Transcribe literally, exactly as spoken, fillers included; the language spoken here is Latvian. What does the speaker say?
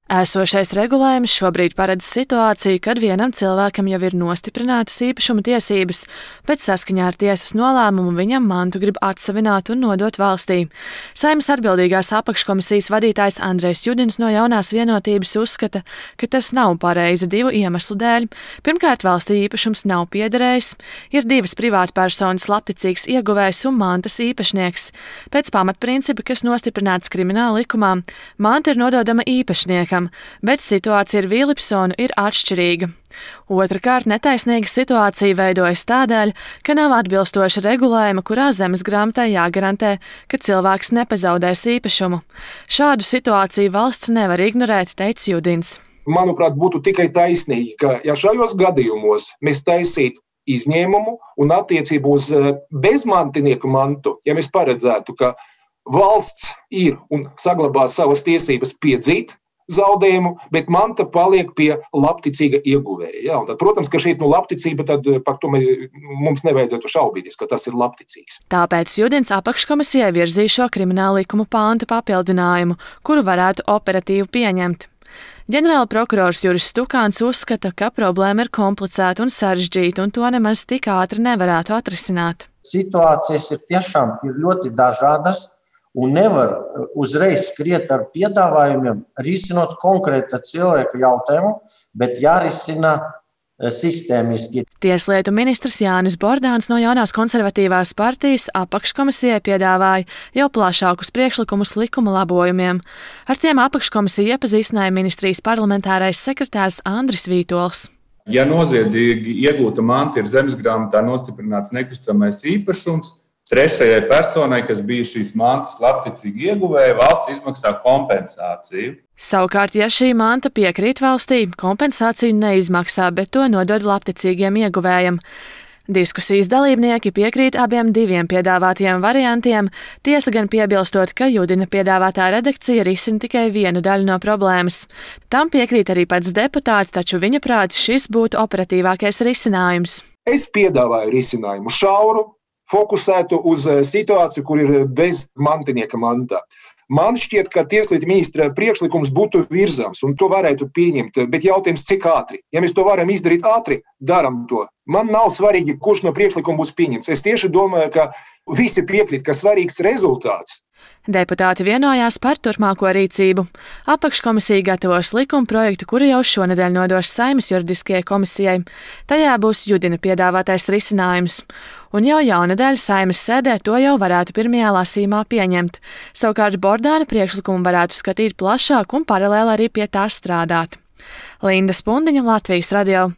Esošais regulējums šobrīd paredz situāciju, kad vienam cilvēkam jau ir nostiprinātas īpašuma tiesības, bet saskaņā ar tiesas nolēmumu viņam mantu grib atsavināt un nodot valstī. Saeimas atbildīgās apakškomisijas vadītājs Andrejs Judins no Jaunās Vienotības uzskata, ka tas nav pareizi divu iemeslu dēļ. Pirmkārt, valstī īpašums nav piederējis, ir divas privātpersonas labticīgs ieguvējs un mantas īpašnieks. Pēc pamatprincipa, kas nostiprināts krimināla likumā, manta ir nododama īpašniekam, bet situācija ar Vīlipsonu ir atšķirīga. Otrakārt, netaisnīga situācija veidojas tādēļ, ka nav atbilstoša regulējuma, kurā zemes grāmatai jāgarantē, ka cilvēks nepazaudēs īpašumu. Šādu situāciju valsts nevar ignorēt, teica Judins. Manuprāt, būtu tikai taisnīgi, ka ja šajos gadījumos mēs taisītu izņēmumu un attiecību uz bezmantinieku mantu, ja mēs paredzētu, ka valsts ir un saglabās savas tiesības piedzīt zaudējumu, bet manta paliek pie labticīga ieguvēja. Ja? Tad, protams, ka šī ir nu, labticība, tad par to mums nevajadzētu šaubīties, ka tas ir labticīgs. Tāpēc Judins apakškomisijai virzīja šo krimināla likuma pāntu papildinājumu, kuru varētu operatīvi pieņemt. Ģenerāla prokurors Juris Stukāns uzskata, ka problēma ir komplicēta un sarežģīta, un to nemaz tik ātri nevarētu atrisināt. Situācijas ir tiešām ir ļoti dažādas. Un nevar uzreiz skriet ar piedāvājumiem, risinot konkrēta cilvēka jautājumu, bet jārisina sistēmiski. Tieslietu ministrs Jānis Bordāns no Jaunās konservatīvās partijas apakškomisijai piedāvāja jau plašākus priekšlikumus likuma labojumiem. Ar tiem apakškomisiju iepazīstināja ministrijas parlamentārais sekretārs Andris Vītols. Ja noziedzīgi iegūta manta ir zemesgrāmatā nostiprināts nekustamais īpašums, trešajai personai, kas bija šīs mantas labticīgi ieguvēja, valsts izmaksā kompensāciju. Savukārt, ja šī manta piekrīt valstī, kompensāciju neizmaksā, bet to nodod labticīgiem ieguvējiem. Diskusijas dalībnieki piekrīt abiem diviem piedāvātajiem variantiem, tiesa gan piebilstot, ka Judina piedāvātā redakcija risina tikai vienu daļu no problēmas. Tam piekrīt arī pats deputāts, taču viņa prāt šis būtu operatīvākais risinājums. Es piedāvāju risinājumu šauru, fokusētu uz situāciju, kur ir bez mantinieka mantā. Man šķiet, ka tieslietu ministra priekšlikums būtu virzams un to varētu pieņemt, bet jautājums, cik ātri. Ja mēs to varam izdarīt ātri, daram to. Man nav svarīgi, kurš no priekšlikuma būs pieņemts. Es tieši domāju, ka visi piekrīt, ka svarīgs rezultāts. Deputāti vienojās par turpmāko rīcību. Apakškomisija gatavos likuma projektu, kuru jau šonedēļ nodos Saeimas juridiskajai komisijai. Tajā būs Judina piedāvātais risinājums. Un jau jaunedēļ Saeimas sēdē to jau varētu pirmajā lasījumā pieņemt. Savukārt Bordāna priekšlikumu varētu skatīt plašāk un paralēli arī pie tā strādāt. Linda Spundiņa, Latvijas radio.